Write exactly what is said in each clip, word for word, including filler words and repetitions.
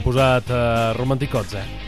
s'han posat uh, romanticots, eh?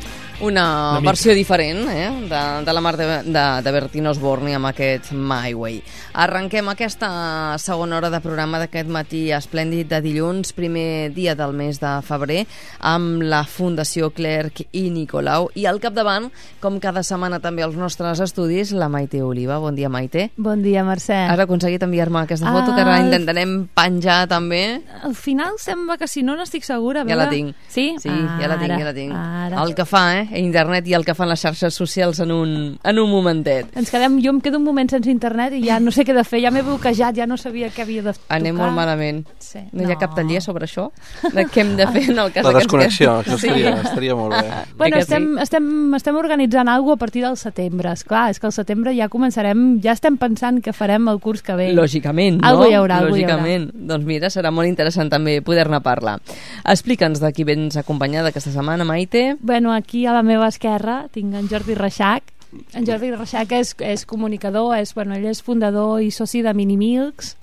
Una, Una versió diferent eh? de, de la mar de, de, de Bertino Osborne amb aquest My Way. Arrenquem aquesta segona hora de programa d'aquest matí esplèndid de dilluns, primer dia del mes de febrer, amb la Fundació Clerc i Nicolau. I al capdavant, com cada setmana també als nostres estudis, la Maite Oliva. Bon dia, Maite. Bon dia, Mercè. Has aconseguit enviar-me aquesta foto, ah, que ara intentarem penjar també. Al final sembla que si no n'estic segura. Ja la tinc. Sí? Sí, ara, ja la tinc, ja la tinc. Ara. El que fa, eh? Internet i el que fan les xarxes socials en un, en un momentet. Ens quedem, jo em quedo un moment sense internet i ja no sé què de fer, ja m'he bloquejat, ja no sabia què havia de tocar. Anem molt malament. Sí. No, no hi ha cap taller sobre això? De què hem de fer en el cas La desconnexió, que... això estaria, sí. estaria molt bé. Bueno, estem, estem, estem organitzant alguna cosa a partir del setembre. Esclar, és que al setembre ja començarem, ja estem pensant que farem el curs que ve. Lògicament, no? Algo hi haurà, algo Lògicament. Hi haurà. Doncs mira, serà molt interessant també poder-ne parlar. Explica'ns de qui vens acompanyada aquesta setmana, Maite. Bueno, aquí a la meva esquerra tinc en Jordi Reixac. En Jordi Reixac és, és comunicador, és, bueno, ell és fundador i soci de Minimilks.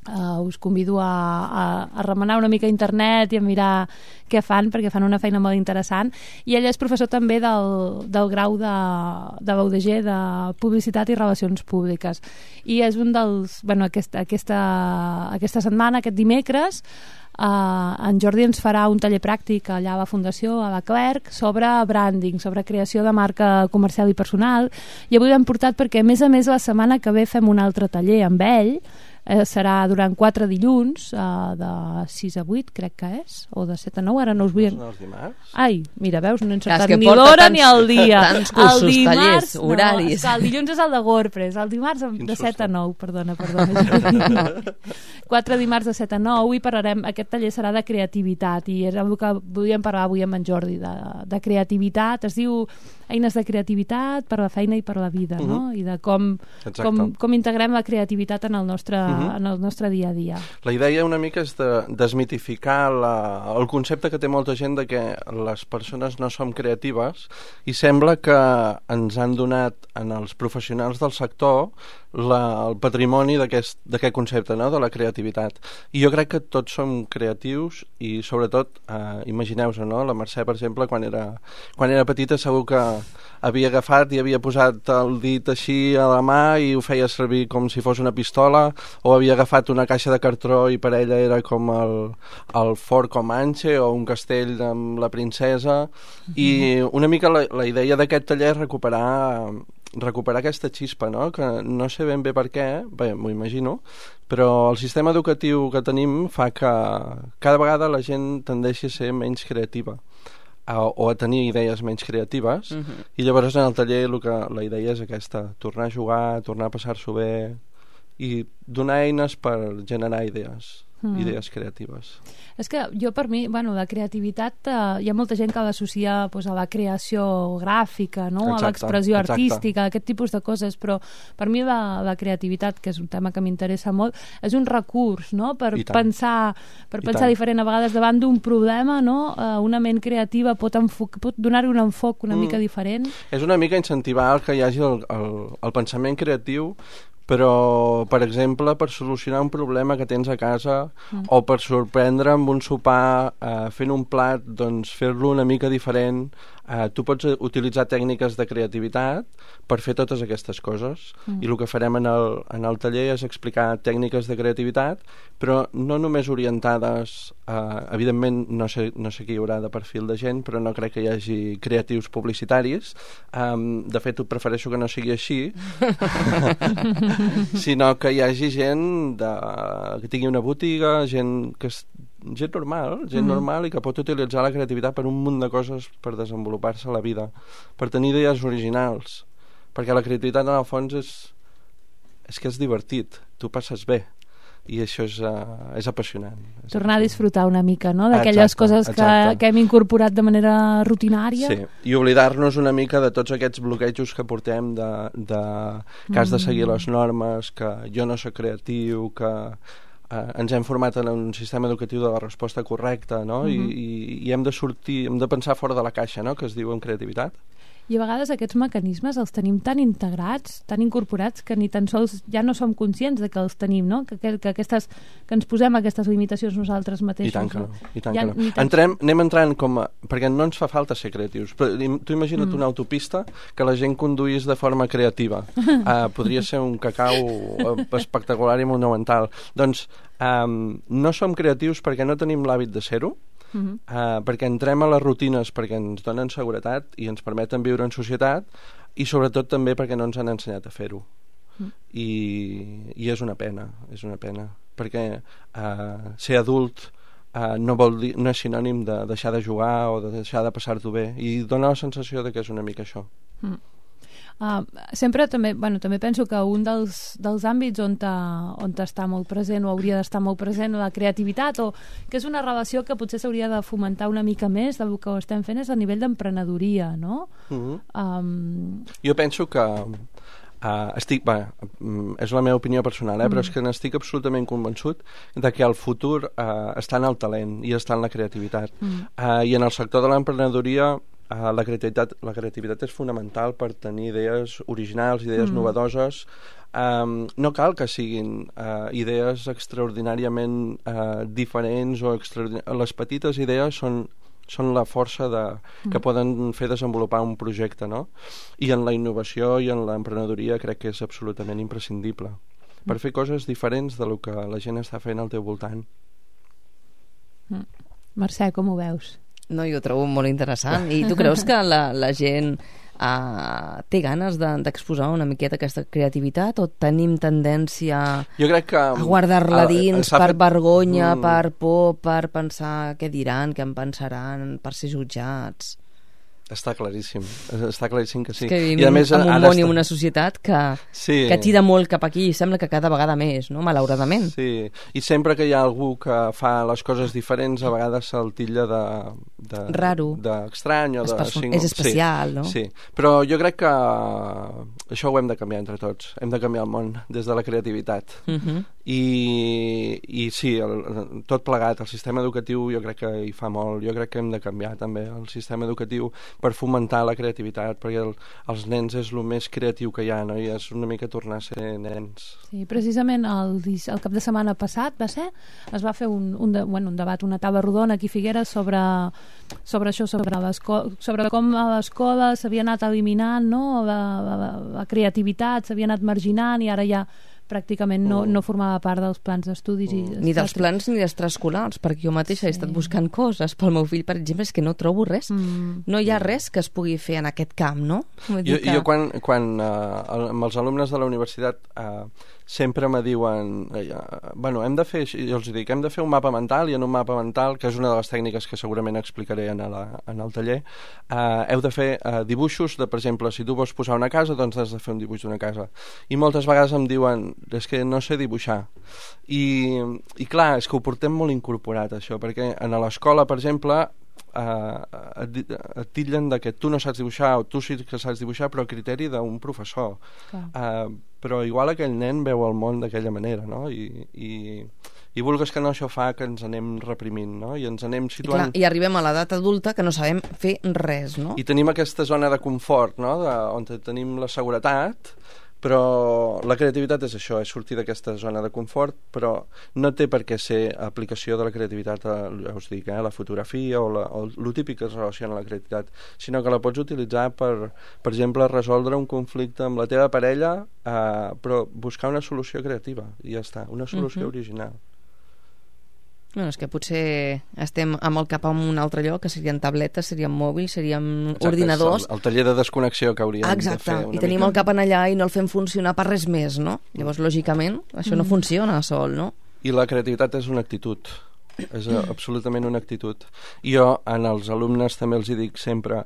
Uh, us convido a, a, a remenar una mica internet i a mirar què fan, perquè fan una feina molt interessant. I ell és professor també del, del grau de, de l'U D G de Publicitat i Relacions Públiques. I és un dels... Bueno, aquesta, aquesta, aquesta setmana, aquest dimecres, Uh, en Jordi ens farà un taller pràctic allà a la Fundació, a la Clerc, sobre branding, sobre creació de marca comercial i personal, i avui l'hem portat perquè a més a més la setmana que ve fem un altre taller amb ell. Eh, serà durant quatre dilluns, eh, de sis a vuit, crec que és, o de set a nou, ara no us vull... No els dimarts? Ai, mira, veus, no he encertat ni l'hora l'hora ni el dia. Tants cursos, el dimarts, tallers, horaris. No, el dilluns és el de WordPress, el dimarts de set a nou, perdona, perdona. Quatre dimarts de set a nou i parlarem, aquest taller serà de creativitat i és el que volíem parlar avui amb en Jordi, de, de creativitat, es diu eines de creativitat per a la feina i per a la vida, no? Uh-huh. I de com, com, com integrem la creativitat en el nostre, uh-huh. en el nostre dia a dia. La idea una mica és de desmitificar la, el concepte que té molta gent de que les persones no som creatives i sembla que ens han donat en els professionals del sector la, el patrimoni d'aquest concepte, no? De la creativitat. I jo crec que tots som creatius i sobretot, eh, imagineu-vos, no? La Mercè, per exemple, quan era, quan era petita segur que havia agafat i havia posat el dit així a la mà i ho feia servir com si fos una pistola, o havia agafat una caixa de cartró i per ella era com el, el fort Comanche o un castell amb la princesa. Mm-hmm. I una mica la, la idea d'aquest taller és recuperar recuperar aquesta xispa, no? Que no sé ben bé per què, bé, m'ho imagino, però el sistema educatiu que tenim fa que cada vegada la gent tendeixi a ser menys creativa a, o a tenir idees menys creatives. Uh-huh. I llavors en el taller el que, la idea és aquesta, tornar a jugar, tornar a passar-s'ho bé i donar eines per generar idees. Mm. Idees creatives. És que jo per mi, bueno, la creativitat eh, hi ha molta gent que l'associa pues, a la creació gràfica, no? Exacte, a l'expressió artística, aquest tipus de coses, però per mi la, la creativitat, que és un tema que m'interessa molt, és un recurs, no? Per pensar, per pensar diferent. A vegades davant d'un problema, no? Eh, una ment creativa pot, pot donar-hi un enfoc una mm. mica diferent. És una mica incentivar que hi hagi el, el, el pensament creatiu, però, per exemple, per solucionar un problema que tens a casa mm. o per sorprendre amb un sopar eh, fent un plat, doncs fer-lo una mica diferent. Eh, tu pots utilitzar tècniques de creativitat per fer totes aquestes coses. Mm. I el que farem en el, en el taller és explicar tècniques de creativitat, però no només orientades a... Evidentment, no sé, no sé qui hi haurà de perfil de gent, però no crec que hi hagi creatius publicitaris. Um, de fet, ho prefereixo que no sigui així. Sinó que hi hagi gent de, que tingui una botiga, gent que és, gent normal, gent mm-hmm. normal i que pot utilitzar la creativitat per un munt de coses per desenvolupar-se a la vida, per tenir idees originals, perquè la creativitat en el fons és, és que és divertit, tu passes bé i això és, uh, és apassionant. És Tornar apassionant. A disfrutar una mica, no?, d'aquelles coses que, que hem incorporat de manera rutinària. Sí, i oblidar-nos una mica de tots aquests bloquejos que portem de, de que has de seguir les normes, que jo no soc creatiu, que uh, ens hem format en un sistema educatiu de la resposta correcta, no?, uh-huh. I, i, i hem de sortir, hem de pensar fora de la caixa, no?, que es diu en creativitat. I a vegades aquests mecanismes els tenim tan integrats, tan incorporats, que ni tan sols ja no som conscients de que els tenim, no? Que, que, que, aquestes, que ens posem aquestes limitacions nosaltres mateixos. I tant que no. I tant ja, que no. Tan... Entrem, anem entrant com a... Perquè no ens fa falta ser creatius. Però, tu imagina't mm. una autopista que la gent conduís de forma creativa. Uh, podria ser un cacau espectacular i monumental. Doncs um, no som creatius perquè no tenim l'hàbit de ser-ho, Uh-huh. Uh, perquè entrem a les rutines perquè ens donen seguretat i ens permeten viure en societat, i sobretot també perquè no ens han ensenyat a fer-ho. Uh-huh. I, i és una pena, és una pena, perquè uh, ser adult uh, no, vol dir, no és sinònim de deixar de jugar o de deixar de passar-t'ho bé, i dona la sensació de que és una mica això. Uh-huh. Uh, sempre també, bueno, també penso que un dels, dels àmbits on, ta, on està molt present o hauria d'estar molt present la creativitat, o que és una relació que potser s'hauria de fomentar una mica més del que ho estem fent, és a nivell d'emprenedoria, no? Uh-huh. um... Jo penso que uh, estic, bé, és la meva opinió personal, eh, mm. però és que n'estic absolutament convençut de que el futur uh, està en el talent i està en la creativitat. Mm. Uh, I en el sector de l'emprenedoria Uh, la, creativitat, la creativitat és fonamental per tenir idees originals, idees mm. novedoses. Um, no cal que siguin uh, idees extraordinàriament uh, diferents o extraordinà... Les petites idees són, són la força de, mm. que poden fer desenvolupar un projecte, no? I en la innovació i en l'emprenedoria crec que és absolutament imprescindible mm. per fer coses diferents de lo que la gent està fent al teu voltant. mm. Mercè, com ho veus? No, jo ho trobo molt interessant. I tu creus que la, la gent uh, té ganes de, d'exposar una miqueta aquesta creativitat, o tenim tendència jo crec que, a guardar-la dins per fet... vergonya, mm. per por, per pensar què diran, què en pensaran, per ser jutjats? Està claríssim, està claríssim que sí. És que vivim I a més, en un món i una societat que, sí. que tira molt cap aquí, i sembla que cada vegada més, no? Malauradament. Sí, i sempre que hi ha algú que fa les coses diferents, a vegades se'l titlla de... de raro. D'estrany o de... Espe- és especial, sí, no? Sí, però jo crec que això ho hem de canviar entre tots. Hem de canviar el món des de la creativitat. Uh-huh. I, i sí, el, tot plegat, el sistema educatiu jo crec que hi fa molt. Jo crec que hem de canviar també el sistema educatiu per fomentar la creativitat, perquè el, els nens és el més creatiu que hi ha, no? I és una mica tornar a ser nens. Sí, precisament el, el cap de setmana passat va ser, es va fer un, un, de, bueno, un debat, una taula rodona aquí a Figueres sobre, sobre això, sobre, sobre com a l'escola s'havia anat eliminant, no? la, la, la creativitat s'havia anat marginant, i ara ja pràcticament no, no formava part dels plans d'estudis. Mm. Ni dels plans ni d'extraescolars, perquè jo mateixa sí. he estat buscant coses pel meu fill, per exemple, és que no trobo res. Mm. No hi ha res que es pugui fer en aquest camp, no? Vull dir jo, que... jo quan, quan uh, amb els alumnes de la universitat uh, sempre me diuen uh, bueno, hem de fer, jo els dic, hem de fer un mapa mental, i en un mapa mental, que és una de les tècniques que segurament explicaré en, la, en el taller, uh, heu de fer uh, dibuixos de, per exemple, si tu vols posar una casa, doncs has de fer un dibuix d'una casa. I moltes vegades em diuen, és que no sé dibuixar. I, i clar, és que ho portem molt incorporat, això, perquè en l'escola, per exemple, uh, et, et titllen de que tu no saps dibuixar, o tu sí que saps dibuixar, però a criteri d'un professor. Uh, però igual aquell nen veu el món d'aquella manera, no? I, i, i vulgues que no, això fa que ens anem reprimint, no? I ens anem situant... I, clar, i arribem a l'edat adulta que no sabem fer res, no? I tenim aquesta zona de confort, no? De, on tenim la seguretat, però la creativitat és això, és sortir d'aquesta zona de confort, però no té per què ser aplicació de la creativitat a, ja us dic, eh, la fotografia o, la, o el típic que es relaciona a la creativitat, sinó que la pots utilitzar per, per exemple, resoldre un conflicte amb la teva parella, eh, però buscar una solució creativa, i ja està, una solució uh-huh. original. Bueno, és que potser estem amb el cap en un altre lloc, que serien tabletes, serien mòbils, serien Exacte, ordinadors. El, el taller de desconnexió que hauríem Exacte, de fer una i tenim mica. El cap en allà i no el fem funcionar per res més, no? Llavors, lògicament, això mm. no funciona sol, no? I la creativitat és una actitud, és absolutament una actitud. I jo, en els alumnes també els hi dic sempre,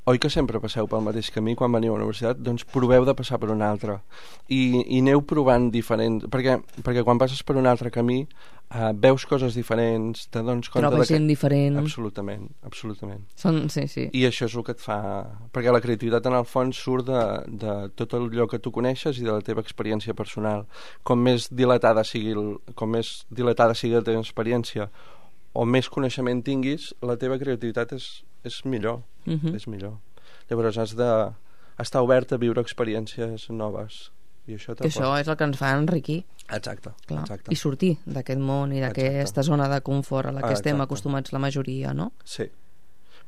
oi que sempre passeu pel mateix camí quan veniu a la universitat? Doncs proveu de passar per un altre. I, i aneu provant diferents... Perquè, perquè quan passes per un altre camí uh, veus coses diferents, te dones compte... Trobes de que... gent diferent. Absolutament, absolutament. Són, sí, sí. I això és el que et fa... Perquè la creativitat en el fons surt de, de tot allò que tu coneixes i de la teva experiència personal. Com més dilatada sigui, el, com més dilatada sigui la teva experiència o més coneixement tinguis, la teva creativitat és, és millor. Uh-huh. És millor. Llavors has de estar obert a viure experiències noves. I això que això és el que ens fa enriquir. Exacte, Clar. exacte. I sortir d'aquest món i d'aquesta zona de confort a la que Exacte. estem acostumats la majoria, no? Sí.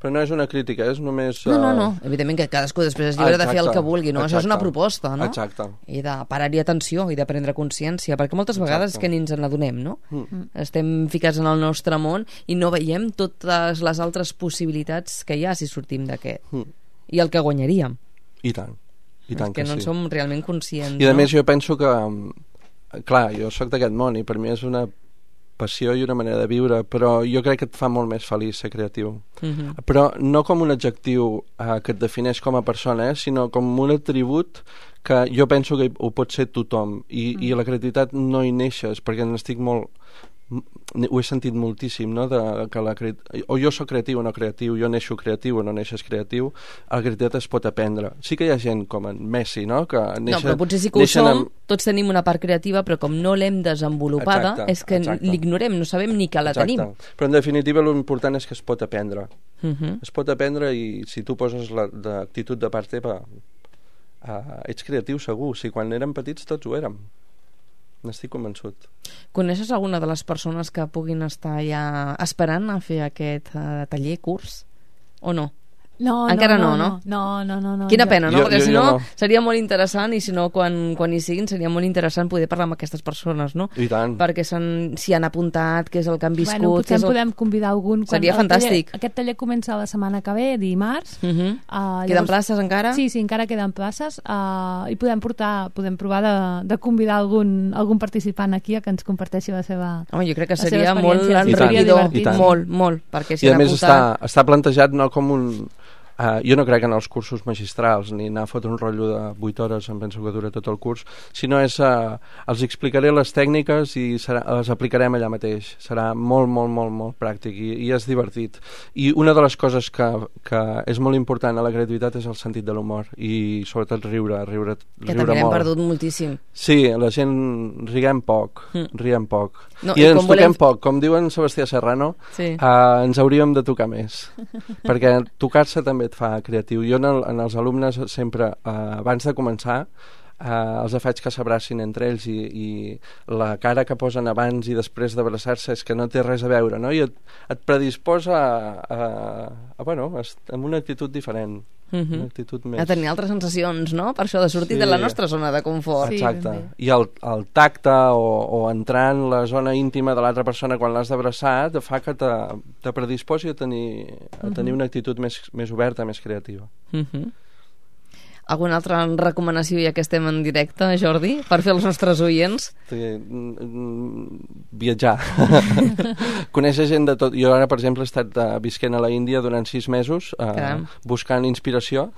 Però no és una crítica, és només... No, no, no. Evidentment que cadascú després és lliure de fer el que vulgui, no? Exacte. Això és una proposta, no? Exacte. I de parar-hi atenció i de prendre consciència, perquè moltes vegades Exacte. és que ni ens n'adonem, no? Mm. Estem ficats en el nostre món i no veiem totes les altres possibilitats que hi ha si sortim d'aquest. Mm. I el que guanyaríem. I tant. I tant és que, que no en sí. som realment conscients, I a no? més jo penso que... Clar, jo sóc d'aquest món i per mi és una passió i una manera de viure, però jo crec que et fa molt més feliç ser creatiu. Mhm. Però no com un adjectiu eh, que et defineix com a persona, eh, sinó com un atribut que jo penso que ho pot ser tothom. I, mm. i la creativitat no hi neixes, perquè n'estic molt... ho he sentit moltíssim, no? De, que la cre... o jo sóc creatiu o no creatiu, jo neixo creatiu o no neixes creatiu, la creativitat es pot aprendre. Sí que hi ha gent com en Messi, no? Que neixen, no, però potser sí que ho som, amb... tots tenim una part creativa, però com no l'hem desenvolupada, Exacte, és que exacte. l'ignorem, no sabem ni que la Exacte. tenim. Però en definitiva l'important és que es pot aprendre. Uh -huh. Es pot aprendre i si tu poses l'actitud de part teva, uh, ets creatiu segur. Si quan érem petits tots ho érem. N'estic convençut. Coneixes alguna de les persones que puguin estar ja esperant a fer aquest uh, taller, curs? O no? No, Encara no, no, no, no, no, no. Quina jo- pena, no? Jo- Perquè jo- si jo no, no. seria molt interessant, i si no, quan, quan hi siguin, seria molt interessant poder parlar amb aquestes persones, no? I tant. Perquè s'hi han apuntat, què és el que han viscut... Bueno, què potser és en el... podem convidar algun... quan Seria el taller- fantàstic. Aquest taller comença la setmana que ve, dimarts. Uh -huh. Uh, Queden places encara? Sí, sí, encara queden places. Uh, I podem portar, podem provar de, de convidar algun, algun participant aquí a que ens comparteixi la seva... Home, jo crec que la seva seria molt experiència. I tant, enriquidor, i tant. molt, molt, perquè s'hi I a han més apuntat... està, està plantejat no com un... Uh, jo no crec en els cursos magistrals ni anar a fotre un rotllo de vuit hores, em penso que dura tot el curs, sinó és uh, els explicaré les tècniques i serà, les aplicarem allà mateix. Serà molt, molt, molt, molt pràctic i, i és divertit. I una de les coses que, que és molt important a la creativitat és el sentit de l'humor i sobretot riure, riure, Que riure també hem molt. perdut moltíssim. Sí, la gent riguem poc, Mm. riguem poc. No, I, i ens com toquem volem- poc. Com diuen Sebastià Serrano, Sí. uh, ens hauríem de tocar més. Perquè tocar-se també et fa creatiu. Jo en, el, en els alumnes sempre, uh, abans de començar, uh, els faig que s'abracin entre ells i, i la cara que posen abans i després d'abraçar-se és que no té res a veure, no? I et, et predisposa a, a, a, bueno, a, amb una actitud diferent. Uh -huh. Una actitud més... A tenir altres sensacions, no? Per això de sortir Sí. de la nostra zona de confort. Sí, Exacte. ben bé. I el, el tacte o, o entrar en la zona íntima de l'altra persona quan l'has d'abraçar te fa que te, te predisposi a tenir, a tenir una actitud més, més oberta, més creativa. Uh -huh. Alguna altra recomanació, ja que estem en directe, Jordi, per fer als nostres oients? Sí, mm, mm, viatjar. Conèixer gent de tot. Jo ara, per exemple, he estat uh, visquent a la Índia durant sis mesos, uh, Caram. buscant inspiració,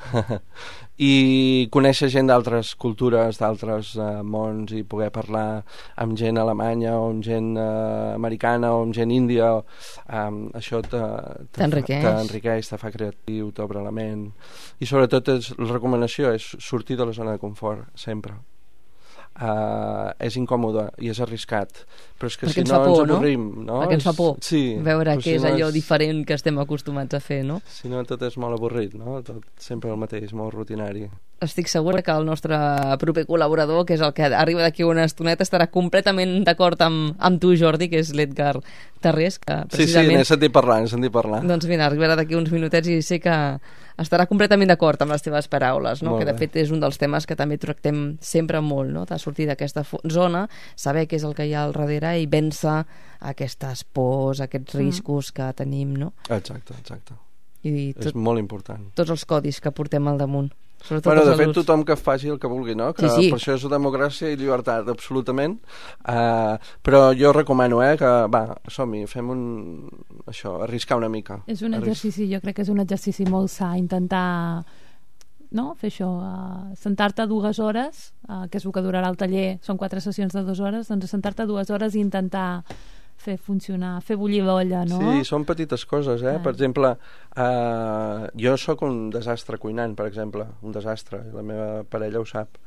i conèixer gent d'altres cultures, d'altres uh, mons, i poder parlar amb gent alemanya, o amb gent uh, americana, o amb gent índia. Um, això te- te- T'enriqueix. T'enriqueix, te fa creatiu, t'obre la ment. I sobretot és, la recomanació és sortir de la zona de confort, sempre. Uh, és incòmode i és arriscat, però és que Perquè si ens no fa por, ens no? avorrim, no? Perquè ens fa por Sí, veure però què si és no allò diferent que estem acostumats a fer, no? Si no, tot és molt avorrit, no? Tot sempre el mateix, molt rutinari. Estic segura que el nostre proper col·laborador, que és el que arriba d'aquí una estoneta, estarà completament d'acord amb, amb tu, Jordi, que és l'Edgar Tarrés, que Sí, sí, precisament... n'he sentit parlar, n'he sentit parlar. Doncs mira, arribarà d'aquí uns minutets i sé que estarà completament d'acord amb les teves paraules, no? Molt Que de bé. fet és un dels temes que també tractem sempre molt, no? De sortir d'aquesta fo- zona, saber què és el que hi ha al darrere i vèncer aquestes pors, aquests riscos que tenim, no? Exacte, exacte. I És tot, molt important. tots els codis que portem al damunt. Sobretot Bueno, els de fet, adults. tothom que faci el que vulgui, no? Que Sí, sí. per això és democràcia i llibertat, absolutament. Uh, però jo recomano, eh, que, va, som-hi, fem un... això, arriscar una mica. És un Arris- exercici, jo crec que és un exercici molt sa, intentar no? fer això, uh, sentar-te dues hores, uh, que és el que durarà el taller, són quatre sessions de dues hores, doncs sentar-te dues hores i intentar fer funcionar, fer bullir l'olla, no? Sí, són petites coses, eh? Ah. Per exemple, uh, jo sóc un desastre cuinant, per exemple, un desastre, i la meva parella ho sap.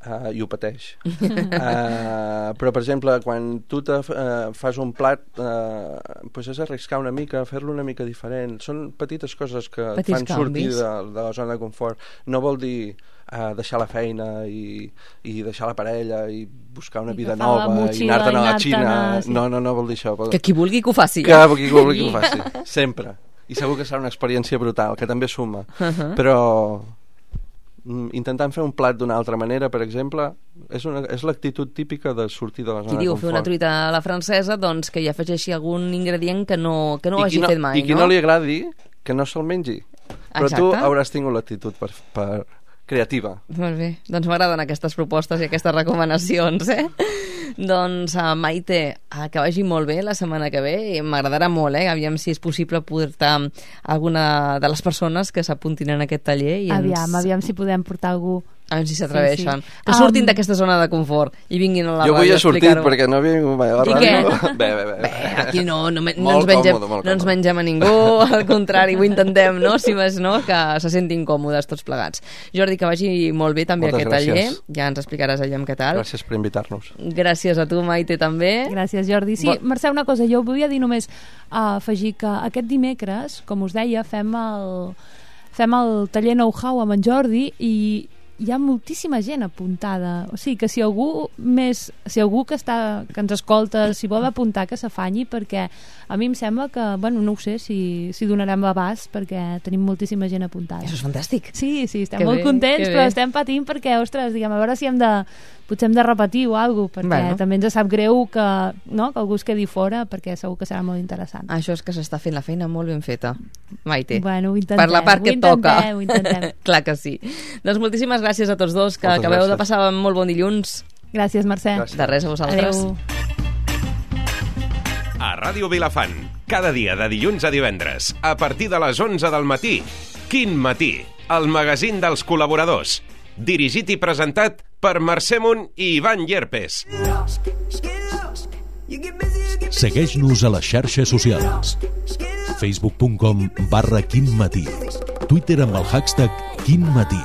uh, i ho pateix. uh, però, per exemple, quan tu te, uh, fas un plat, uh, pues és arriscar una mica, fer-lo una mica diferent. Són petites coses que Petits et fan canvis. sortir de, de la zona de confort. No vol dir uh, deixar la feina i, i deixar la parella i buscar una I vida agafar la nova i motxilla anar-te'n a i la anar-te'n Xina. a- sí. No, no, no vol dir això. Vol... Que qui vulgui que ho faci. Que qui vulgui que ho faci. Sempre. I segur que serà una experiència brutal, que també suma. Uh-huh. Però mm, intentant fer un plat d'una altra manera, per exemple, és, una, és l'actitud típica de sortir de la zona Qui de diu confort. fer una truita a la francesa, doncs que hi afegeixi algun ingredient que no, que no ho I qui hagi fet mai, I qui no li agradi, que no se'l mengi. Però tu Exacte. hauràs tingut l'actitud per, per creativa. Molt bé, doncs m'agraden aquestes propostes i aquestes recomanacions, eh? Doncs uh, Maite, uh, que vagi molt bé la setmana que ve i m'agradarà molt, eh? Aviam si és possible portar alguna de les persones que s'apuntin en aquest taller i ens... Aviam, aviam si podem portar algú. A veure si s'atreveixen. Sí, sí. Que surtin Um, d'aquesta zona de confort i vinguin a la Jo avui ràdio he a sortit explicar-ho. perquè no havia vingut mai a la I ràdio. què? Bé, bé, bé. Bé, aquí no, no, me- no, Molt ens mengem, còmode, molt no ens còmode. mengem a ningú, al contrari, ho intentem, no? Si més no, que se sentin còmodes tots plegats. Jordi, que vagi molt bé també Moltes aquest taller, gràcies. ja ens explicaràs allà què tal. Gràcies per invitar-nos. Gràcies a tu, Maite, també. Gràcies, Jordi. Sí, Bo- Mercè, una cosa, jo volia dir només uh, afegir que aquest dimecres, com us deia, fem el, fem el taller Know-how amb en Jordi i hi ha moltíssima gent apuntada. O sigui, que si algú més, si algú que està que ens escolta, si vol apuntar, que s'afanyi, perquè a mi em sembla que, bueno, no ho sé si, si donarem l'abast, perquè tenim moltíssima gent apuntada. Això és fantàstic. Sí, sí, estem Que molt bé, contents, que però bé. estem patint perquè, ostres, diguem, a veure si hem de potser hem de repetir o alguna cosa, perquè Bueno. també ens sap greu que, no, que algú es quedi fora, perquè segur que serà molt interessant. Això és que s'està fent la feina molt ben feta, Maite. Bueno, ho intentem. Per la part ho que et toca. intentem, Ho intentem. Clar que sí. Doncs moltíssimes gràcies a tots dos, que Moltes acabeu de gràcies. passar un molt bon dilluns. Gràcies, Mercè. Gràcies. De res a vosaltres. Adéu. A Ràdio Vilafant, cada dia de dilluns a divendres, a partir de les onze del matí. Quin matí? El magazín dels col·laboradors. Dirigit i presentat per Mercè Munt i Ivan Llerpes. Segueix-nos a les xarxes socials. facebook punt com barra quinmatí. Twitter amb el hashtag quinmatí.